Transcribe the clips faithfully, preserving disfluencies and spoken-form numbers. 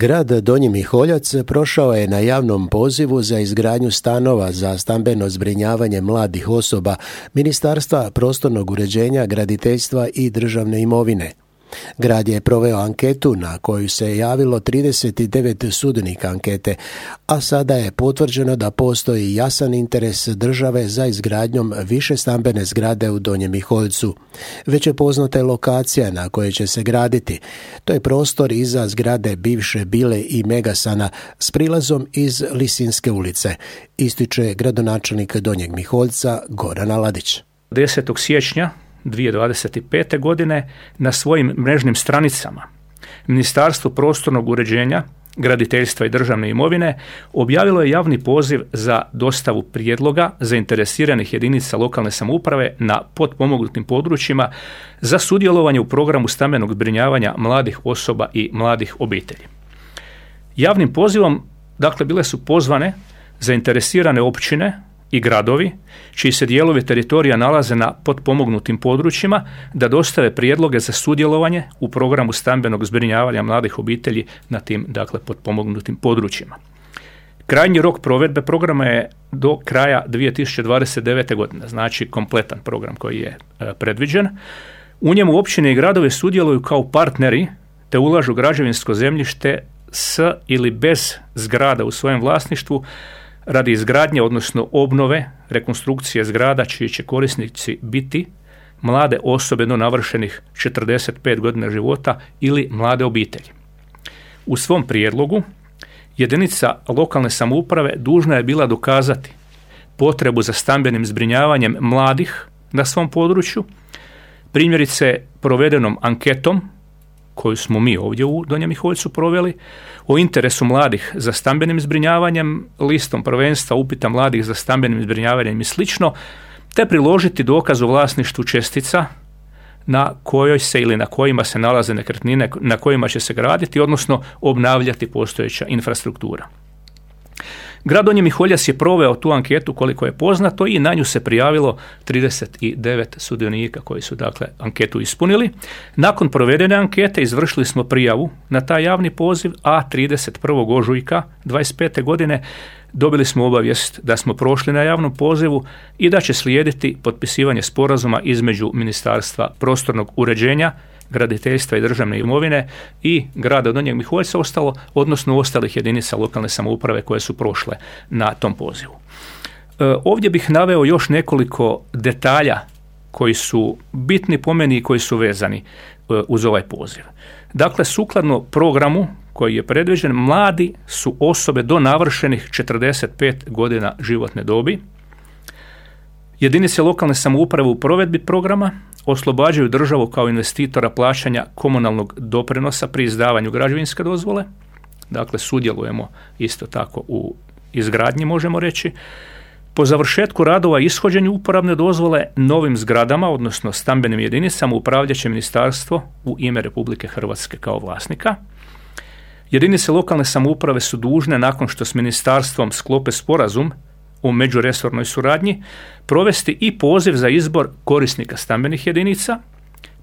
Grad Donji Miholjac prošao je na javnom pozivu za izgradnju stanova za stambeno zbrinjavanje mladih osoba Ministarstva prostornog uređenja, graditeljstva i državne imovine. Grad je proveo anketu na koju se javilo trideset devet sudionika ankete, a sada je potvrđeno da postoji jasan interes države za izgradnjom više stambene zgrade u Donjem Miholjcu. Već je poznata lokacija na kojoj će se graditi. To je prostor iza zgrade bivše Bile i Megasana s prilazom iz Lisinske ulice, ističe gradonačelnik Donjeg Miholjca Goran Aladić. desetog siječnja dvije tisuće dvadeset pete. godine na svojim mrežnim stranicama Ministarstvo prostornog uređenja, graditeljstva i državne imovine objavilo je javni poziv za dostavu prijedloga zainteresiranih jedinica lokalne samouprave na potpomognutim područjima za sudjelovanje u programu stambenog zbrinjavanja mladih osoba i mladih obitelji. Javnim pozivom, dakle, bile su pozvane zainteresirane općine i gradovi čiji se dijelovi teritorija nalaze na potpomognutim područjima da dostave prijedloge za sudjelovanje u programu stambenog zbrinjavanja mladih obitelji na tim, dakle, potpomognutim područjima. Krajnji rok provedbe programa je do kraja dvije tisuće dvadeset devete. godine, znači kompletan program koji je e, predviđen. U njemu općine i gradovi sudjeluju kao partneri te ulažu građevinsko zemljište s ili bez zgrada u svojem vlasništvu radi izgradnje, odnosno obnove, rekonstrukcije zgrada čiji će korisnici biti mlade osobe do navršenih četrdeset pet godina života ili mlade obitelji. U svom prijedlogu jedinica lokalne samouprave dužna je bila dokazati potrebu za stambenim zbrinjavanjem mladih na svom području, primjerice provedenom anketom koju smo mi ovdje u Donjem Miholjcu proveli, o interesu mladih za stambenim zbrinjavanjem, listom prvenstva upita mladih za stambenim zbrinjavanjem i slično, te priložiti dokaz o vlasništvu čestica na kojoj se ili na kojima se nalaze nekretnine na kojima će se graditi, odnosno obnavljati postojeća infrastruktura. Grad Donji Miholjac je proveo tu anketu koliko je poznato i na nju se prijavilo trideset devet sudionika koji su, dakle, anketu ispunili. Nakon provedene ankete izvršili smo prijavu na taj javni poziv, a trideset prvog ožujka dvadeset pete. godine dobili smo obavijest da smo prošli na javnom pozivu i da će slijediti potpisivanje sporazuma između Ministarstva prostornog uređenja, graditeljstva i državne imovine i grada Donjeg Miholjca ostalo, odnosno ostalih jedinica lokalne samouprave koje su prošle na tom pozivu. E, ovdje bih naveo još nekoliko detalja koji su bitni po meni i koji su vezani e, uz ovaj poziv. Dakle, sukladno programu koji je predviđen, mladi su osobe do navršenih četrdeset pet godina životne dobi. Jedinice lokalne samouprave u provedbi programa oslobađaju državu kao investitora plaćanja komunalnog doprinosa pri izdavanju građevinske dozvole. Dakle, sudjelujemo isto tako u izgradnji, možemo reći. Po završetku radova i ishođenju uporabne dozvole novim zgradama, odnosno stambenim jedinicama, upravljat će ministarstvo u ime Republike Hrvatske kao vlasnika. Jedinice lokalne samouprave su dužne, nakon što s ministarstvom sklope sporazum o međuresornoj suradnji, provesti i poziv za izbor korisnika stambenih jedinica,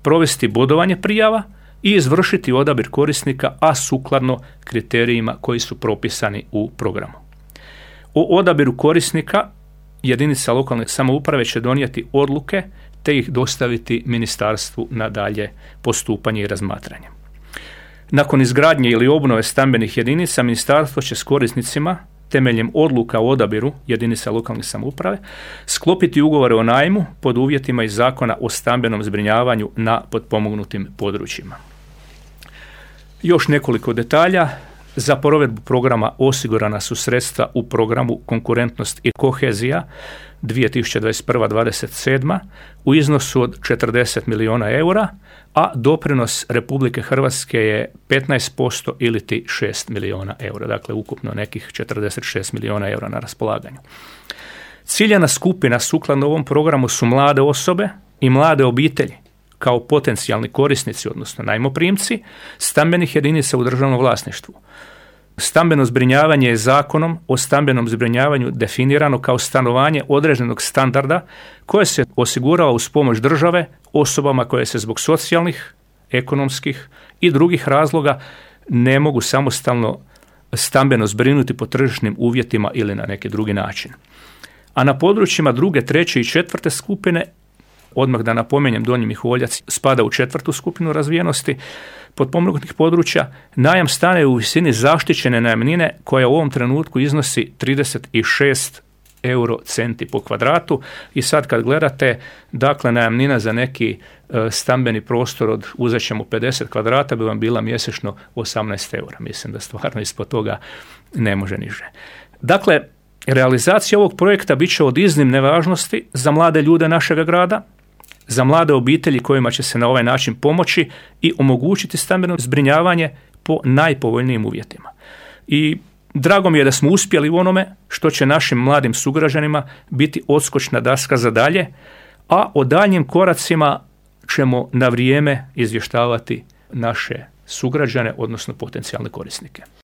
provesti bodovanje prijava i izvršiti odabir korisnika, a sukladno kriterijima koji su propisani u programu. O odabiru korisnika jedinica lokalne samouprave će donijeti odluke te ih dostaviti ministarstvu na dalje postupanje i razmatranje. Nakon izgradnje ili obnove stambenih jedinica, ministarstvo će s korisnicima temeljem odluka o odabiru jedinica lokalne samouprave sklopiti ugovore o najmu pod uvjetima iz Zakona o stambenom zbrinjavanju na potpomognutim područjima. Još nekoliko detalja. Za provedbu programa osigurana su sredstva u programu Konkurentnost i kohezija dvije tisuće dvadeset prva do dvadeset sedma u iznosu od četrdeset milijuna eura, a doprinos Republike Hrvatske je petnaest posto ili ti šest milijuna eura, dakle ukupno nekih četrdeset šest milijuna eura na raspolaganju. Ciljana skupina sukladno ovom programu su mlade osobe i mlade obitelji kao potencijalni korisnici, odnosno najmoprimci, stambenih jedinica u državnom vlasništvu. Stambeno zbrinjavanje je Zakonom o stambenom zbrinjavanju definirano kao stanovanje određenog standarda koje se osigurava uz pomoć države osobama koje se zbog socijalnih, ekonomskih i drugih razloga ne mogu samostalno stambeno zbrinuti po tržišnim uvjetima ili na neki drugi način. A na područjima druge, treće i četvrte skupine, odmah da napomenjem, Donji Miholjac spada u četvrtu skupinu razvijenosti potpomognutih područja, najam stana je u visini zaštićene najamnine koja u ovom trenutku iznosi trideset šest euro centi po kvadratu i sad kad gledate, dakle najamnina za neki e, stambeni prostor od uzet ćemo pedeset kvadrata bi vam bila mjesečno osamnaest eura. Mislim da stvarno ispod toga ne može niže. Dakle, realizacija ovog projekta bit će od iznimne važnosti za mlade ljude našega grada, za mlade obitelji kojima će se na ovaj način pomoći i omogućiti stambeno zbrinjavanje po najpovoljnijim uvjetima. I drago mi je da smo uspjeli u onome što će našim mladim sugrađanima biti odskočna daska za dalje, a o daljnjim koracima ćemo na vrijeme izvještavati naše sugrađane, odnosno potencijalne korisnike.